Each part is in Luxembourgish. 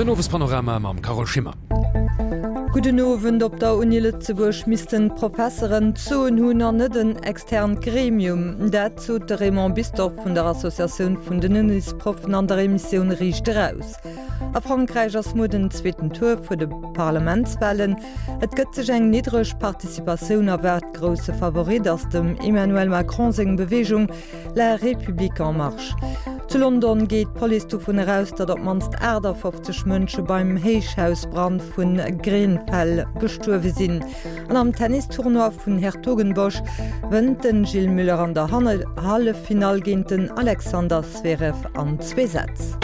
Den Owespanorama mam Carole Schimmer. Gudden Owend. Op der Uni Lëtzebuerg missten d'Professeren d'Soen hunn an net en externt Gremium. Dat sot de Raymond Bisdorff vun der Associatioun vun den Unisproffen an der Emissioun Riicht Eraus. A Frankräich ass muer den zweeten Tour vun de Parlamentswalen. Et gëtt sech eng niddreg Participatioun erwaart. Grousse Favorit ass dem Emmanuel Macron seng Beweegung La République en Marche. Zu London geet d'Police dovun eraus, datt op d'mannst 58 Mënsche beim Héichhausbrand vu Grenfell gestuerwe sinn. An am Tennistournoi vun Hertogenbosch wënnt den Gilles Muller an der Halleffinall géint den Alexander Zverev an zwee Sätz.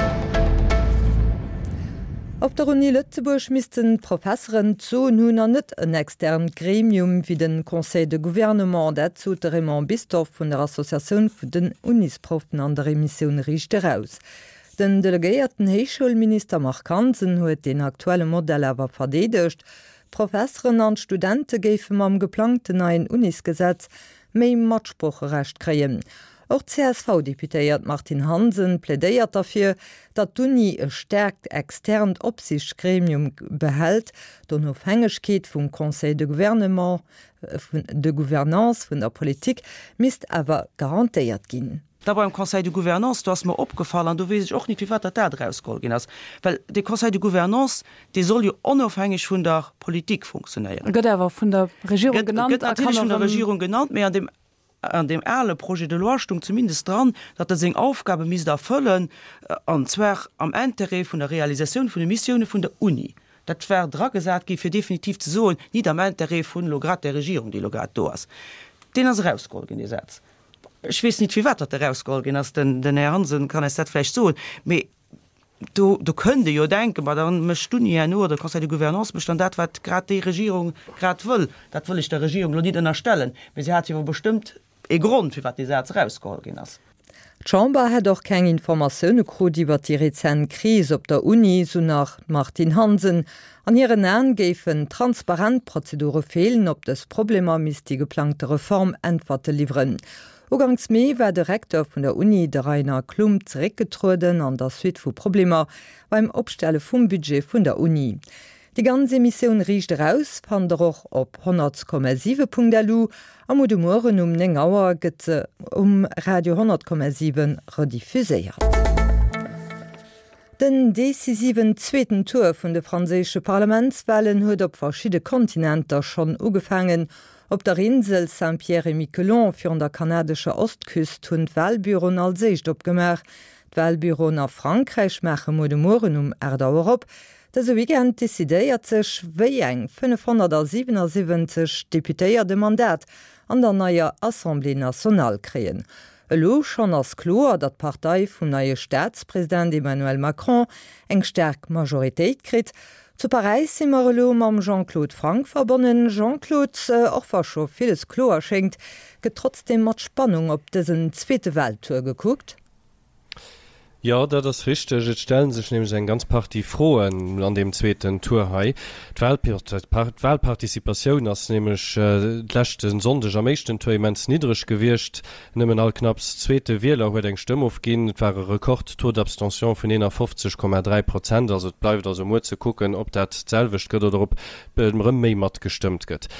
Op der Uni Lëtzebuerg missten d'Professeren d'Soen hunn an net en externt Gremium wéi den Conseil de Gouvernement. Dat sot de Raymond Bisdorff vun der Associatioun vun den Unisproffen an der Emissioun Riicht Eraus. Den delegéierten Héichschoulminister Marc Hansen huet deen aktuelle Modell awer verdeedegt. D'Professeren an d'Studente géife mam geplangten neien Unisgesetz méi Matsproocherecht kréien. Och d'CSV-Deputéiert Martine Hansen plädéiert derfir, datt d'Uni e staarkt externt Opsiichtsgremium behält. D'Onofhängegkeet vum Conseil de gouvernement, de gouvernance vun der Politik misst awer garantéiert ginn. Da beim Conseil de gouvernance, do ass mer opgefall, an do weess ech och nit, firwat datt dat erausgeholl ginn ass, well dee Conseil de gouvernance, dee soll jo onofhängeg vun der Politik funktionéieren. Gëtt awer vun der Regierung genannt a kann erëm. Gëtt natierlech vun der Regierung genannt, mee an deem, an deem ale Projet de loi stung zumindest dran, datt e seng Aufgabe misst erfëllen, an zwar am Intérêt vun der Realisatioun vun de Missioune vun der Uni. Dat war dragesat gi fir definitiv ze soen, nit am Intérêt vun elo grad där Regierung, déi elo grad do ass. Deen ass erausgeholl ginn, dee Saz. Ech weess nit, firwat datt erausgeholl ginn ass. Den Här Hansen kann eis dat vläicht soen. Mee do, do kënnt ee jo denken, ma da mécht d'Uni herno oder de Conseil de Gouvernance mécht dann dat, wat grad déi Regierung grad wëll. Dat wëll ech der Regierung elo nit ënnerstellen, mee si hat jo bestëmmt ee Grond, firwat dee Saz erausgeholl ginn ass. D'Chamber hätt och keng Informatioune krut iwwer déi rezent Kris op der Uni, sou nach d'Martine Hansen. An hiren Aen géifen transparent Prozedure feelen. Op dës Problemer misst déi geplangte Reform Äntwerte liwweren. Uganks Mee war de Recteur vun der Uni, de Rainer Klump, zeréckgetrueden an der Suite vu Problemer beim Opstelle vum Budget vun der Uni. Déi ganz Emissioun Riicht Eraus fannt der och op 100,7.lu a muer de Mueren um 9 Auer gëtt se um Radio 100,7 rediffuséiert. Den decisiven zweeten Tour vun de franséische Parlamentswalen huet op verschidde Kontinenter schonn ugefaangen. Op der Insel Saint-Pierre-et-Miquelon virun der kanadescher Ostküst hunn d'Walbüroen als éischt opgemaach. D'Walbüroen a Frankräich maache muer de Mueren um 8 Auer op. Dëse Weekend decidéiert sech, wéi eng 577 Deputéiert e Mandat an der neier Assemblée nationale kréien. Elo schonn ass kloer, datt d'Partei vum neie Staatspresident Emmanuel Macron eng staark Majoritéit kritt. Zu Paräis si mer elo mam Jean-Claude Franck verbonnen. Jean-Claude, och wa scho villes kloer schéngt, gëtt trotzdeem mat Spannung op dësen zweete Wahltour gekuckt. Jo, dat ass richteg. Et stelle sech nämlech eng ganz Partie Froen an deem zweeten Tour hei. D'Wahlparticipatioun ass nämlech d'leschte Sonndeg am éischten Tour immens niddreg gewiescht. Nëmmen all knapps zweete Wieler huet eng Stëmm ofginn. Et war e Rekord-Taux d'abstention vun 51,3 Prozent. Also et bleift also muer ze kucken, ob dat d'selwecht gëtt oder ob erëm méi matgestëmmt gëtt.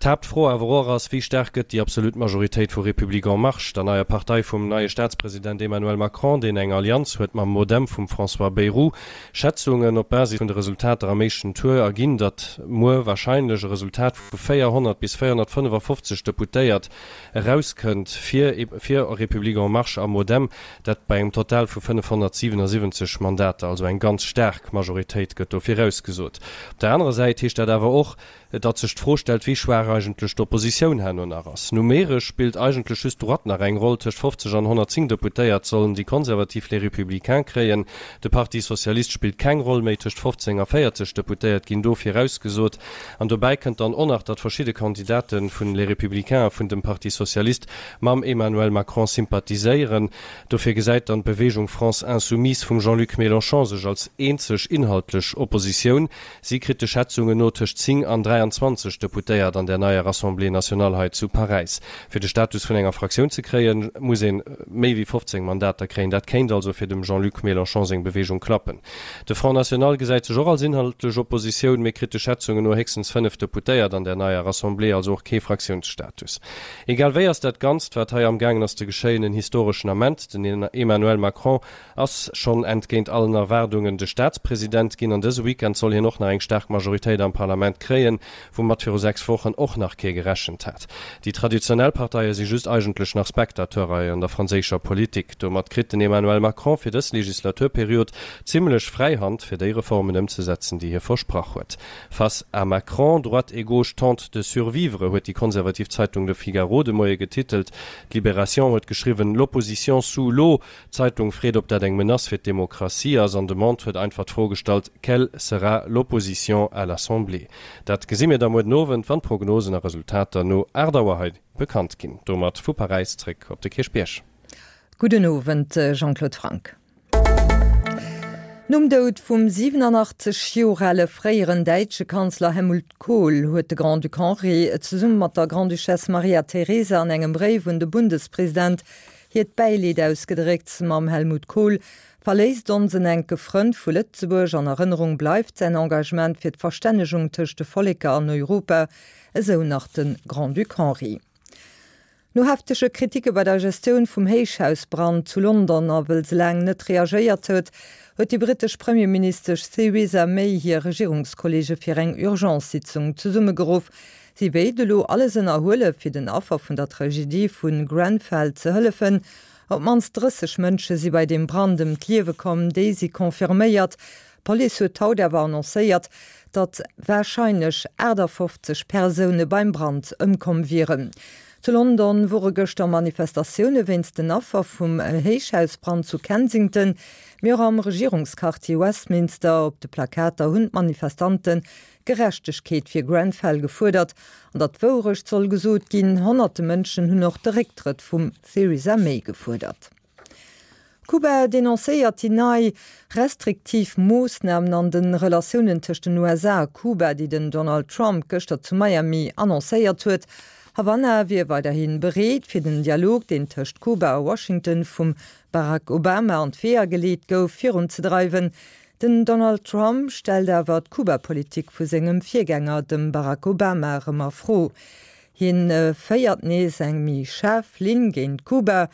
D'Haaptfro awer och ass, Wéi staark gëtt déi absolut Majoritéit vu République en Marche, der neier Partei vum neie Staatspresident Emmanuel Macron, deen eng Allianz huet mam MoDem vum François Bayrou? Schätzungen op Basis vun de Resultater am éischten Tour erginn, datt muer warscheinlech e Resultat vu 400 bis 455 Deputéiert erauskënnt fir fir République en Marche a MoDem, dat bei engem Total vu 577 Mandater. Also eng ganz staark Majoritéit gëtt do virausgesot. Op der anerer Säit heescht dat awer och, Datt sech d'Fro stellt, wéi schwaach eigentlech d'Oppositioun herno nach ass. Numeresch spillt eigentlech just d'Droite nach eng Roll, tëscht 50 an 110 Deputéiert sollen déi Konservativ Les Républicains kréien. De Parti Socialiste spillt keng Roll méi, tëscht 15 a 40 Deputéiert ginn do virausgesot. An dobäi kënnt dann och nach, datt verschidde Kandidate vun Les Républicains a vun dem Parti Socialiste mam Emmanuel Macron sympathiséieren. Dofir gesäit dann d'Beweegung France Insoumise vum Jean-Luc Mélenchon sech als eenzeg inhaltlech Oppositioun. Si kritt de Schätzungen no tëscht 10 an 23. 23 Deputéiert an där neier Assemblée nationale hei zu Paräis. Fir de Status vun enger Fraktioun ze kréien, muss ee méi wéi 15 Mandater kréien. Dat kéint also fir dem Jean-Luc Mélenchon seng Beweegung klappen. De Front National gesäit sech och als inhaltlech Oppositioun, mee kritt de Schätzungen no héchstens 5 Deputéiert an där neier Assemblée, also och kee Fraktiounsstatus. Egal wéi ass dat Ganzt, wat hei amgaangen ass ze geschéien, en historeschen Ament. Den Emmanuel Macron ass schonn entgéint allen Erwaardungen de Staatspresident ginn an dëse Weekend soll hien och nach eng staark Majoritéit am Parlament kréien, woumat viru 6 Wochen och nach kee gerechent hat. Déi traditionell Parteie si just eigentlech nach Spectateur hei an der franséischer Politik. Domat kritt den Emmanuel Macron fir dës Legislaturperiod zimmlech fräi Hand, fir déi Reformen ëmzesetzen, déi hie versprach huet. Face à Macron, droite et gauche tentent de survivre, huet déi konservativ Zeitung Le Figaro de Moie getitelt. D'Libération huet geschriwwen, L'opposition sous l'eau. D'Zeitung freet, ob dat eng Menace fir d'Demokratie ass an de Monde huet einfach d'Fro gestallt, Quelle sera l'opposition à l'Assemblée? Dat gesi mir da muer den Owend, wann d'Prognosen a Resultater no 8 Auer hei bekannt ginn. Domat vu Paräis zréck op de Kierchbierg. Gudden Owend Jean-Claude Franck. Nom Doud vum 87 Joer ale fréieren däitsche Kanzler Helmut Kohl huet de Grand-Duc Henri zesumme mat der Grande-Duchesse Maria Teresa an engem Bréif un de Bundespresident hiert Bäileed ausgedréckt. Mam Helmut Kohl verléisst ons en enke Frënd vu Lëtzebuerg. An Erënnerung bleift säin Engagement fir d'Verstännegung tëscht de Volleker an Europa, esou nach de Grand-Duc Henri. No heftege Kriticke bei der Gestioun vum Héichhausbrand zu London a wëll se laang net reagéiert huet, huet déi brittesch Premierministesch Theresa May hir Regierungskolleege fir eng Urgence-Sitzung zesummegeruff. Si wéilt elo alles ënnerhuele fir den Affer vun der Tragedie vu Grenfell ze hëllefen. Op d'mannst 30 Mënsche si bei deem Brand ëm d'Liewe komm, déi si confirméiert. D'Police huet haut awer annoncéiert, datt warscheinlech 58 Persoune beim Brand ëmkomm wieren. Zu London wore gëschter Manifestatioune wéinst den Affer vum Héichhausbrand zu Kensington, mee och am Regierungsquartier Westminster. Op de Plakater hunn d'Manifestante Gerechtegkeet fir Grenfell gefuerdert an datt d'Wourecht soll gesot ginn. Honnerte Mënschen hunn och de Récktrëtt vum Theresa May gefuerdert. Kuba denoncéiert déi nei restriktiv Moossnamen an de Relatiounen tëscht den USA a Kuba, déi den Donald Trump gëschter zu Miami annoncéiert huet. Havanna wier weiderhi bereet, fir den Dialog, deen tëscht Kuba a Washington vum Barack Obama an d'Weeër geleet gouf, virunzedreiwen. Den Donald Trump stellt awer d'Kuba-Politik vu sengem Virgänger, dem Barack Obama, erëm a Fro. Hien féiert nees eng méi schaarf Linn géint Kuba.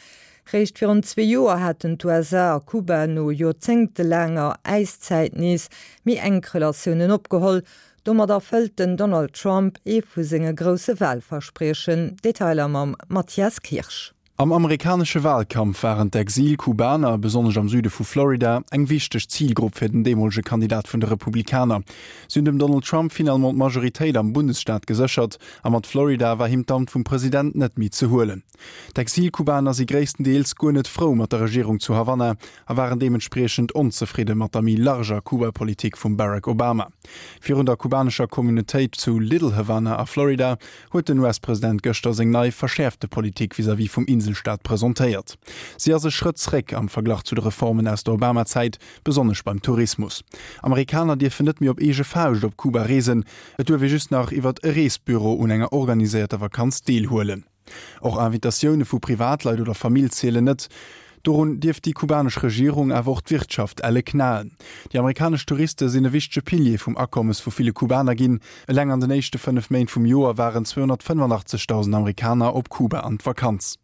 Réischt virun zwee Joer haten d'USA a Kuba no joerzéngtelaanger Äiszäit nees méi enk Relatiounen opgeholl. Domat erfëllt den Donald Trump ee vu senge grousse Walverspriechen. Detailer mam Mathias Kirsch. Am amerikanesche Walkampf waren d'Exil-Kubaner, besonnesch am Süde vu Florida, eng wichteg Zilgrupp fir den deemolege Kandidat vun de Republikaner. Si hunn dem Donald Trump finalement d'Majoritéit am Bundesstaat geséchert a mat Florida war him d'Amt vum President net méi ze huelen. D'Exil-Kubaner si gréisstendeels guer net frou mat der Regierung zu Havanna a waren deementspriechend onzefridde mat der méi larger Kuba-Politik vum Barack Obama. Virun der kubanescher Communautéit zu Little Havana a Florida huet den US-President gëschter seng nei, verschäerfte Politik vis-à-vis vum Inselstaat presentéiert. Si ass e Schrëtt zréck am Verglach zu de Reformen aus der Obama-Zäit, besonnesch beim Tourismus. Amerikaner dierfen net méi op eege Fauscht op Kuba reesen, et duerf ee just nach iwwert e Reesbüro un enger organiséierter Vakanz deelhuelen. Och Invitatioune vu Privatleit oder Famill zielen net. Dorun dierft déi kubanesch Regierung, awer och d'Wirtschaft elle knaen. Déi amerikanesch Touriste sinn e wichtege Pilier vum Akommes vu ville Kubaner ginn. Eleng an den éischte 5 Méint vum Joer waren 285.000 Amerikaner op Kuba an d'Vakanz.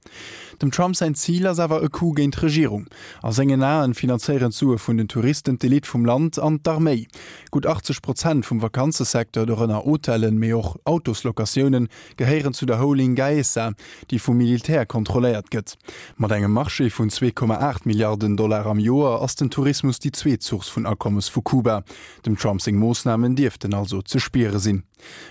Dem Trump säin Zil ass awer e Coup géint d'Regierung. A sengen Aen finanzéieren d'Sue vun den Touristen d'Elite vum Land an d'Arméi. Gutt 80 Prozent vum Vakanzesecteur, dorënner Hotellen, mee och Autoslocatiounen, gehéieren zu der Holding Gaesa, déi vum Militär kontrolléiert gëtt. Mat engem Marché vun 2,8 Milliarden Dollar am Joer ass den Tourismus déi zweet Source vun Akommes vu Kuba. Dem Trump seng Moossnamen dierften also ze spiere sinn.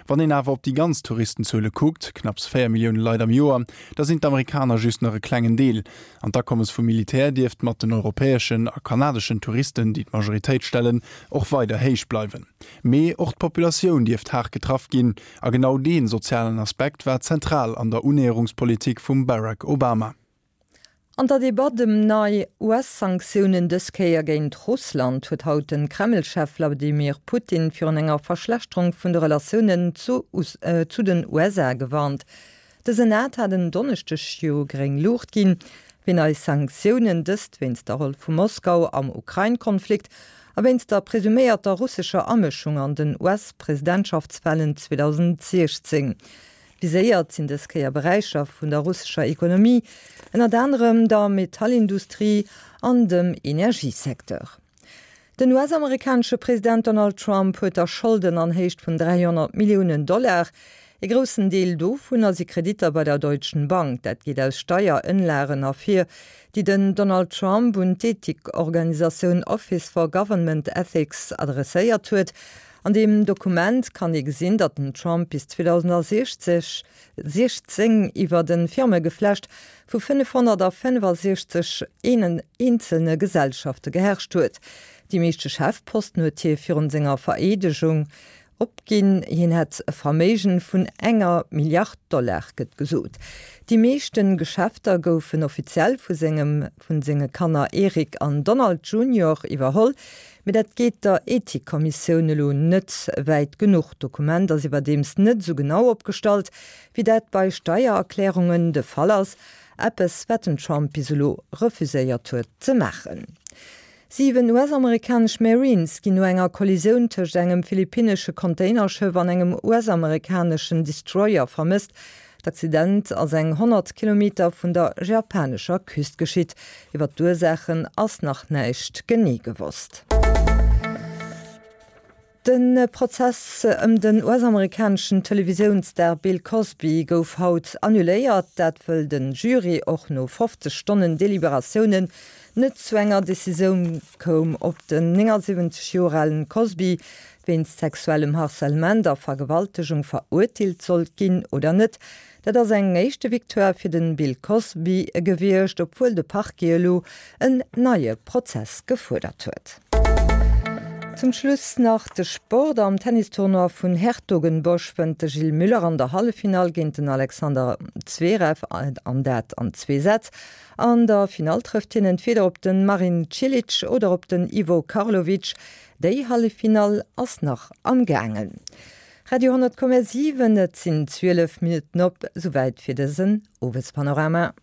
Wann een awer op déi ganz Touristenzuele kuckt, knapps 4 Millioune Leit am Joer, da sinn d'Amerikaner just nach e klengen Deel. An d'Akommes vum Militär dierft mat den europäeschen a kanadeschen Touristen, déi d'Majoritéit stellen, och weider héich bleiwen. Mee och d'Populatioun dierft haart getraff ginn. A genau dee sozialen Aspekt war zentral an der Unnäherungspolitik vum Barack Obama. An der Debatt ëm nei US-Sanktiounen, dës Kéier géint Russland, huet haut de Kreml-Chef Wladimir Putin virun enger Verschlechterung vun de Relatiounen zu den USA gewarnt. De Senat hat en Donneschdeg jo gréng Luucht ginn fir nei Sanktiounen, dëst wéinst der Roll vu Moskau am Ukrain-Konflikt a wéinst der presuméierter russescher Amëschung an den US-Presidentschaftswalen 2016. Viséiert sinn dës Kéier Beräicher vun der russescher Ekonomie, ënnert anerem der Metallindustrie an dem Energiesecteur. Den US-amerikanesche President Donald Trump huet der Scholden an Héicht vun 300 Milliounen Dollar. Ee groussen Deel dovunner si Kreditter bei der Deutschen Bank. Dat geet aus Steierënlagen ervir, déi den Donald Trump un d'Ethikorganisatioun Office for Government Ethics adresséiert huet. An deem Dokument kann ee gesinn, datt den Trump bis 2016 iwwert e Firmegeflecht vu 565 eenzelne Gesellschafte geherrscht huet. Déi meeschte Chefposten huet hie virun senger Vereedegung opginn. Hien hätt e Verméigen vun enger Milliard Dollar, gëtt gesot. Déi meeschte Geschäfter goufen offiziell vu sengem vun senge Kanner Eric an Donald Junior iwwerholl. Mee dat geet der Ethikkommissioun elo net wäit genuch. D'Dokument ass iwwerdeems net esou genau opgestallt, wéi dat bei Steiererklärungen de Fall ass, eppes wat den Trump bis elo refuséiert huet ze maachen. 7 US-amerikanesch Marines ginn no enger Kollisioun tëscht engem philippinnesche Containerschëff an engem US-amerikaneschen Destroyer vermësst. D'Accident ass eng 100 Kilometer vun der japanescher Küst geschitt. Iwwer d'Ursaachen ass nach näischt genee gewosst. De Prozess ëm den US-amerikaneschen Televisiounsstar Bill Cosby gouf haut annuléiert. Dat wëll de Jury och no 50 Stonnen Deliberatiounen net zu enger Decisioun koum, ob den 79 Joer alen Cosby wéinst sexuellem Harcèlement a Vergewaltegung verurteelt sollt ginn oder net. Dat ass eng éischte Victoire fir de Bill Cosby gewiescht, obwuel de Parquet elo en neie Prozess gefuerdert huet. Zum Schluss nach de Sport. Am Tennistournoi vun Hertogenbosch wënnt de Gilles Müller an der Halleffinall géint den Alexander Zverev, an dat an zwee Sätz. An der Finall trëfft hien entweeder op de Marin Cilic oder op den Ivo Karlovic. Déi Halleffinall ass nach am gaangen. Radio 10,7, Et sinn 12 Minutten op, souwäit fir dësen Owespanorama.